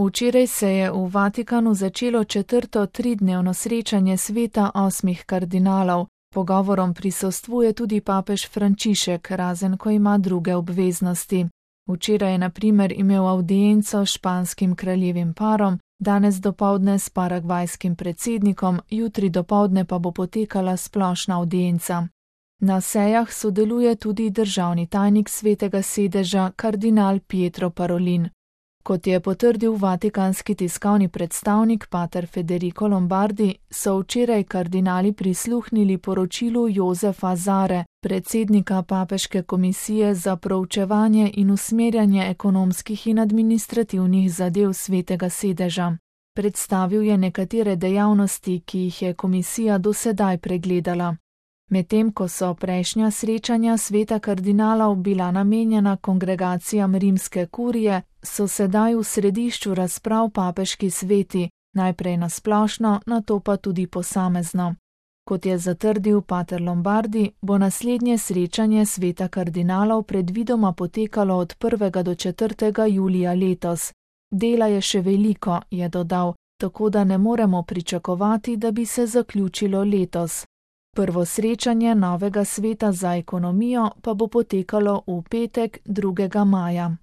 Včeraj se je v Vatikanu začelo 4. tridnevno srečanje sveta 8 kardinalov. Pogovorom prisostvuje tudi papež Frančišek, razen ko ima druge obveznosti. Včeraj je na primer imel avdienco s španskim kraljevim parom, danes dopoldne s paragvajskim predsednikom, jutri dopoldne pa bo potekala splošna avdienca. Na sejah sodeluje tudi državni tajnik Svetega sedeža kardinal Pietro Parolin. Kot je potrdil vatikanski tiskovni predstavnik pater Federico Lombardi, so včeraj kardinali prisluhnili poročilu Josefa Zare, predsednika Papeške komisije za proučevanje in usmerjanje ekonomskih in administrativnih zadev Svetega sedeža. Predstavil je nekatere dejavnosti, ki jih je komisija do sedaj pregledala. Medtem ko so prejšnja srečanja sveta kardinalov bila namenjena kongregacijam rimske kurije, so sedaj v središču razprav papeški sveti, najprej na splošno, nato pa tudi posamezno. Kot je zatrdil pater Lombardi, bo naslednje srečanje sveta kardinalov predvidoma potekalo od 1. do 4. julija letos. Dela je še veliko, je dodal, tako da ne moremo pričakovati, da bi se zaključilo letos. Prvo srečanje novega sveta za ekonomijo pa bo potekalo v petek 2. maja.